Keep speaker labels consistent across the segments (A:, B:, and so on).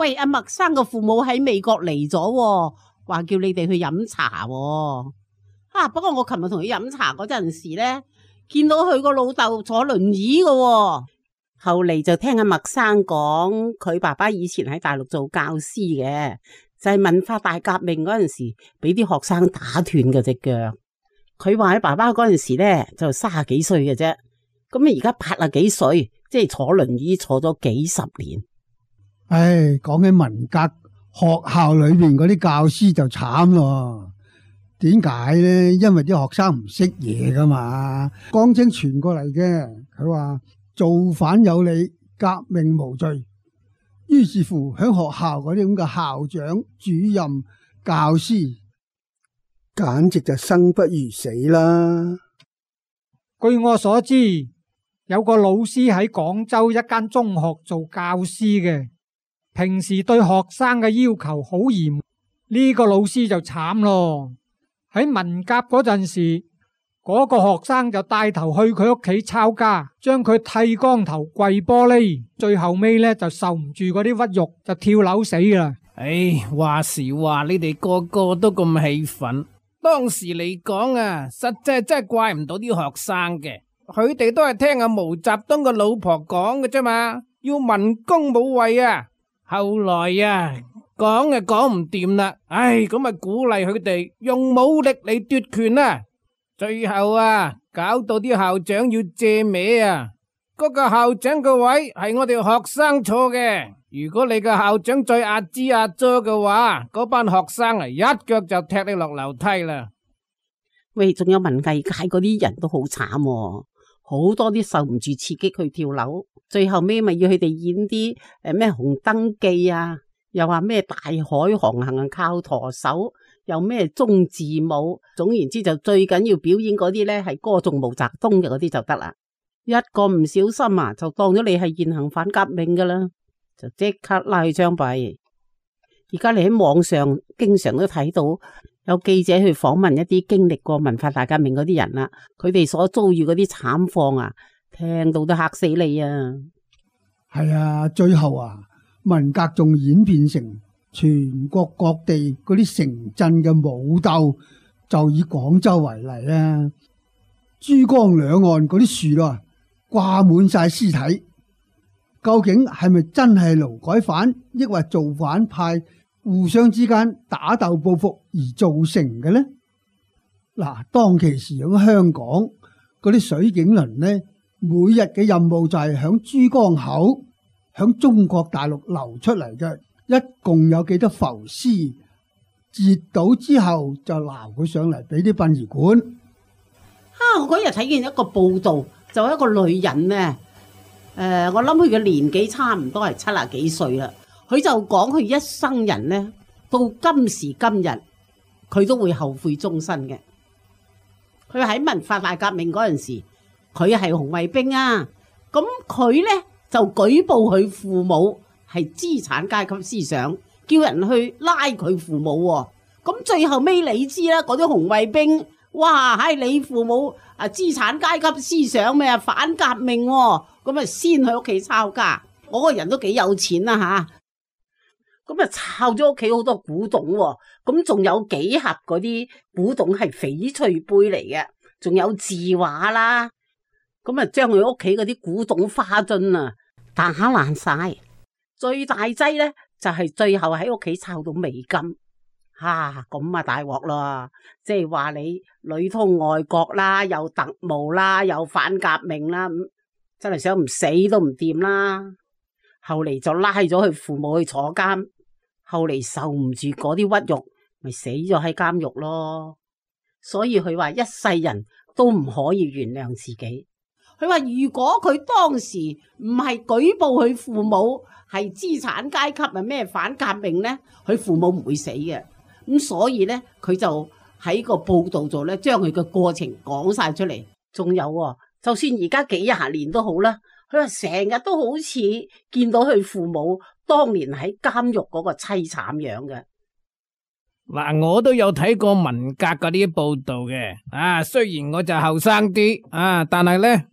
A: 喂，阿麥生嘅父母喺美國嚟咗，話叫你哋去飲茶喎。不過我琴日同佢飲茶嗰陣時咧，見到佢個老豆坐輪椅嘅喎。後嚟就聽阿麥生講，佢爸爸以前喺大陸做教師嘅，就係文化大革命嗰陣時，俾啲學生打斷嘅隻腳。佢話喺爸爸嗰陣時咧就30幾歲嘅啫，咁而家80幾歲，即係坐輪椅坐咗幾十年。
B: 唉，講起文革，學校裏邊嗰啲教師就慘咯。點解呢？因為啲學生唔識嘢噶嘛。江青傳過嚟嘅，佢話造反有理，革命無罪。於是乎，喺學校嗰啲咁嘅校長、主任、教師，簡直就生不如死啦。
C: 據我所知，有個老師喺廣州一間中學做教師嘅，平時對學生嘅要求好嚴。呢個老師就慘咯。喺文革嗰陣時，嗰個學生就帶頭去佢屋企抄家，將佢剃光頭跪玻璃，最後尾呢就受唔住嗰啲屈辱，就跳樓死啦。
D: 唉，話時話你哋個個都咁氣憤，當時嚟講啊，實際真係怪唔到啲學生嘅，佢哋都係聽阿毛澤東個老婆講嘅啫嘛，要文攻武衛啊。後來啊，講就講唔掂啦，唉，咁咪鼓勵佢哋用武力嚟奪權啦。最後啊，搞到啲校長要借名啊，嗰個校長個位係我哋學生坐嘅。如果你個校長再阿支阿咗嘅話，嗰班學生啊一腳就踢你落樓梯啦。
A: 喂，仲有文藝界嗰啲人都好慘喎，好多啲受唔住刺激去跳樓，最後尾咪要佢哋演啲咩紅燈記啊，又話咩大海航行靠舵手，又咩中字舞，總言之就最緊要表演嗰啲呢係歌頌毛澤東嘅嗰啲就得啦。一個唔小心啊，就當咗你係現行反革命噶啦，就即刻拉去槍斃。而家你喺網上經常都睇到有記者去訪問一啲經歷過文化大革命嗰啲人啦，佢哋所遭遇嗰啲慘況啊，聽到都嚇死你啊！
B: 係啊，最後啊，文革仲演變成全國各地嗰啲城鎮嘅武鬥，就以廣州為例啊，珠江兩岸嗰啲樹啊，掛滿晒屍體，究竟係咪真係勞改犯，抑或造反派互相之間打鬥報復而造成嘅呢？嗱，當其時喺香港嗰啲水警輪呢，每日嘅任務就係響珠江口響中國大陸流出嚟嘅，一共有幾多浮屍，截到之後就撈佢上嚟俾啲殯儀館。
A: 我嗰日睇見一個報道，就一個女人呢，我諗佢嘅年紀差唔多係70幾歲啦。佢就講佢一生人呢，到今時今日，佢都會後悔終身嘅。佢喺文化大革命嗰陣時，佢係紅衛兵啊，咁佢呢就舉報佢父母係資產階級思想，叫人去拉佢父母喎。咁最後尾你知啦，嗰啲紅衛兵，哇，係你父母啊資產階級思想咩啊反革命喎，咁啊先去屋企抄家。我個人都幾有錢啦吓。咁啊，抄咗屋企好多古董喎，咁仲有幾盒嗰啲古董係翡翠杯嚟嘅，仲有字畫啦，咁啊將佢屋企嗰啲古董花樽啊打爛晒，最大劑咧就係最後喺屋企抄到美金，咁啊大鑊啦，即係話你裏通外國啦，又特務啦，又反革命啦，真係想唔死都唔掂啦。後嚟就拉咗佢父母去坐監。後嚟受唔住嗰啲屈辱，咪死咗喺監獄咯。所以佢話一世人都唔可以原諒自己。佢話如果佢當時唔係舉報佢父母係資產階級啊咩反革命呢，佢父母唔會死嘅。咁所以呢，佢就喺個報道度呢，將佢嘅過程講晒出嚟。仲有就算而家幾廿年都好啦，佢話成日都好似見到佢父母當年喺監獄嗰個淒慘樣嘅。
D: 嗱，我都有睇過文革嗰啲報道嘅，雖然我就後生啲，但係呢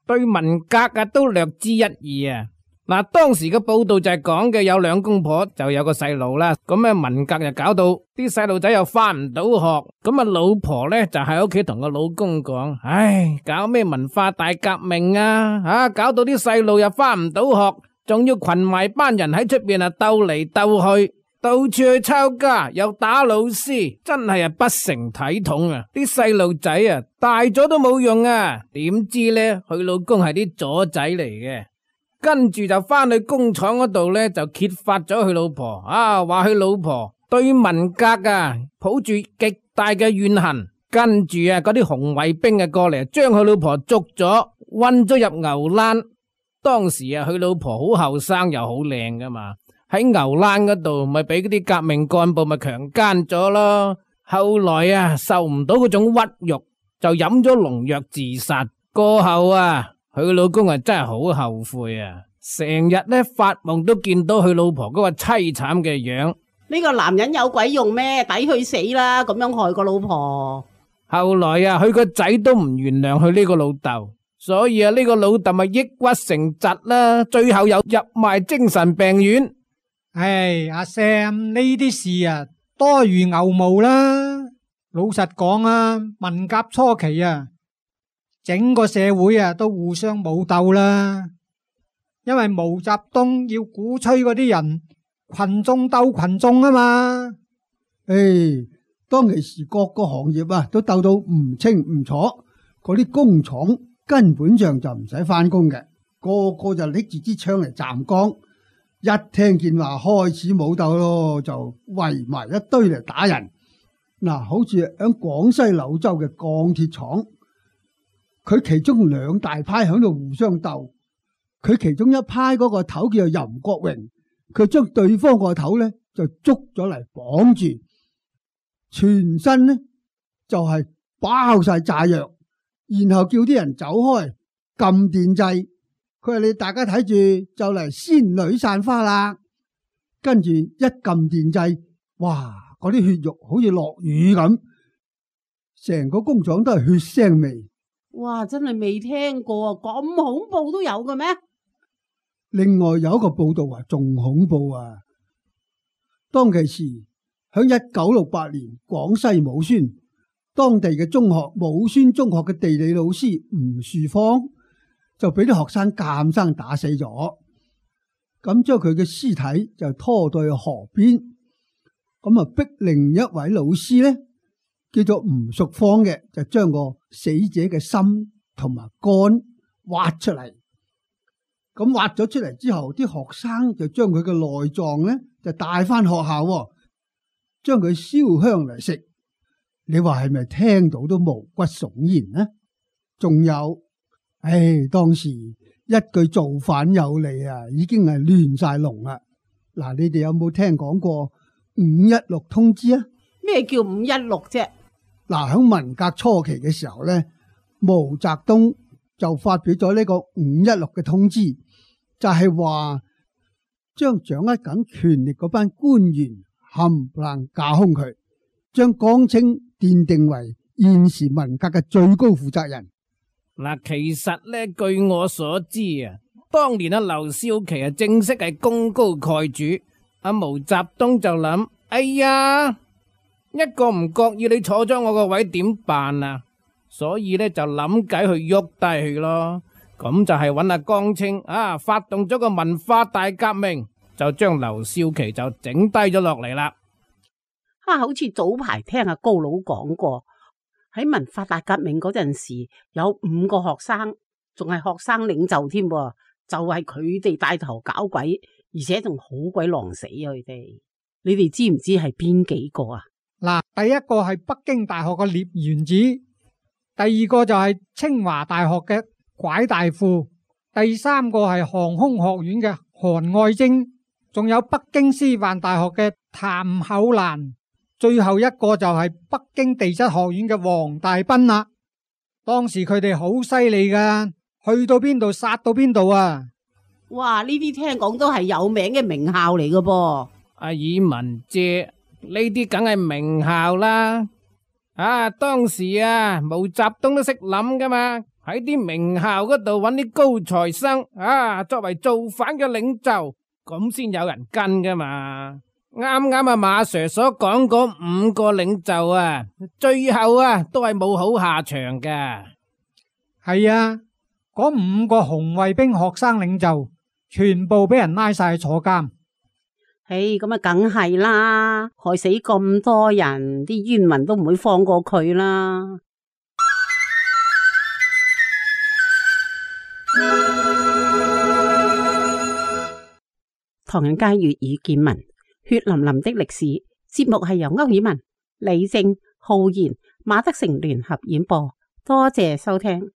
D: 對文革都略知一二啊。嗱，當時嘅報道就係講嘅有兩公婆就有個細路啦，咁啊文革就搞到啲細路仔又翻唔到學，咁啊老婆呢就喺屋企同個老公講：唉，搞咩文化大革命啊，搞到啲細路又翻唔到學，仲要群埋班人喺出邊啊鬥嚟鬥去，到處去抄家，又打老師，真係不成體統啊！啲細路仔啊大咗都冇用啊，點知呢佢老公係啲左仔嚟嘅。跟住就翻去工廠嗰度呢，就揭發咗佢老婆話佢老婆對文革抱住極大嘅怨恨。跟住嗰啲紅衛兵過嚟，將佢老婆捉咗，韞咗入牛欄。當時佢老婆好後生又好靚噶嘛，喺牛欄嗰度咪俾嗰啲革命幹部咪強姦咗咯。後來受唔到嗰種屈辱，就飲咗農藥自殺。過後佢老公真係好後悔啊！成日呢發夢都見到佢老婆嗰個淒慘嘅樣。
A: 呢個男人有鬼用咩？抵佢死啦！咁樣害個老婆。
D: 後來佢個仔都唔原諒佢呢個老豆，所以呢個老豆咪抑鬱成疾啦，最後又入埋精神病院。
C: 唉，阿 Sam 呢啲事多如牛毛啦。老實講文革初期整個社會都互相武鬥啦，因為毛澤東要鼓吹嗰啲人群眾鬥群眾啊嘛。
B: 當其時各個行業都鬥到唔清唔楚，嗰啲工廠根本上就唔使翻工嘅，個個就拎住支槍嚟站崗，一聽見話開始武鬥咯，就圍埋一堆嚟打人。嗱，好似喺廣西柳州嘅鋼鐵廠。佢其中兩大派喺度互相鬥，佢其中一派嗰個頭叫做任國榮，佢將對方個頭呢就捉咗嚟綁住，全身呢就係包晒炸藥，然後叫啲人走開，撳電掣。佢話你大家睇住就嚟仙女散花啦，跟住一撳電掣，哇！嗰啲血肉好似落雨咁，成個工廠都係血腥味。
A: 哇！真係未聽過咁恐怖都有嘅咩？
B: 另外有一個報道仲恐怖當其時響1968年廣西武宣，當地嘅中學武宣中學嘅地理老師吳樹芳就俾啲學生監生打死咗，咁將佢嘅屍體就拖到去河邊，咁逼另一位老師呢，叫做吳淑芳嘅，就將個死者嘅心同埋肝挖出嚟。咁挖咗出嚟之後，啲學生就將佢嘅內臟呢就帶翻學校，將佢燒香嚟食。你話係咪聽到都毛骨悚然呢？仲有，當時一句造反有理已經係亂晒龍啦。嗱，你哋有冇聽講過516通知啊？
A: 咩叫516啫？
B: 嗱，喺文革初期嘅時候呢，毛澤東就發表咗呢個516嘅通知，就係話將掌握緊權力嗰班官員冚唪唥架空佢，將江青奠定為現時文革嘅最高負責人。
D: 嗱，其實呢，據我所知當年劉少奇正式係功高蓋主，毛澤東就諗，哎呀，一個唔覺意你坐咗我個位點辦啊？所以呢，就諗計去喐低佢咯。咁就係揾阿江青發動咗個文化大革命，就將劉少奇就整低咗落嚟啦。
A: 好似早排聽阿高佬講過，喺文化大革命嗰陣時，有5個學生，仲係學生領袖添，就係佢哋帶頭搞鬼，而且仲好鬼狼死佢哋。你哋知唔知係邊幾個啊？
C: 嗱，第一個係北京大學嘅聶元子，第二個就係清華大學嘅蒯大富，第三個係航空學院嘅韓愛晶，仲有北京師範大學嘅譚厚蘭，最後一個就係北京地質學院嘅黃大斌啦。當時佢哋好犀利噶，去到邊度殺到邊度啊！
A: 哇，呢啲聽講都係有名嘅名校嚟噶噃。
D: 阿以文姐，呢啲梗係名校啦。當時毛澤東都識諗噶嘛。喺啲名校嗰度揾啲高材生作為造反嘅領袖，咁先有人跟噶嘛。啱啱馬 Sir 所講嗰5個領袖最後都係冇好下場噶。
C: 係啊，嗰5個紅衛兵學生領袖全部俾人拉晒坐監。
A: 咁梗係啦，害死咁多人，啲冤魂都唔會放過佢啦。唐人街粵語見聞，血淋淋的歷史節目係由歐爾文、李正、浩然、馬德成聯合演播，多謝收聽。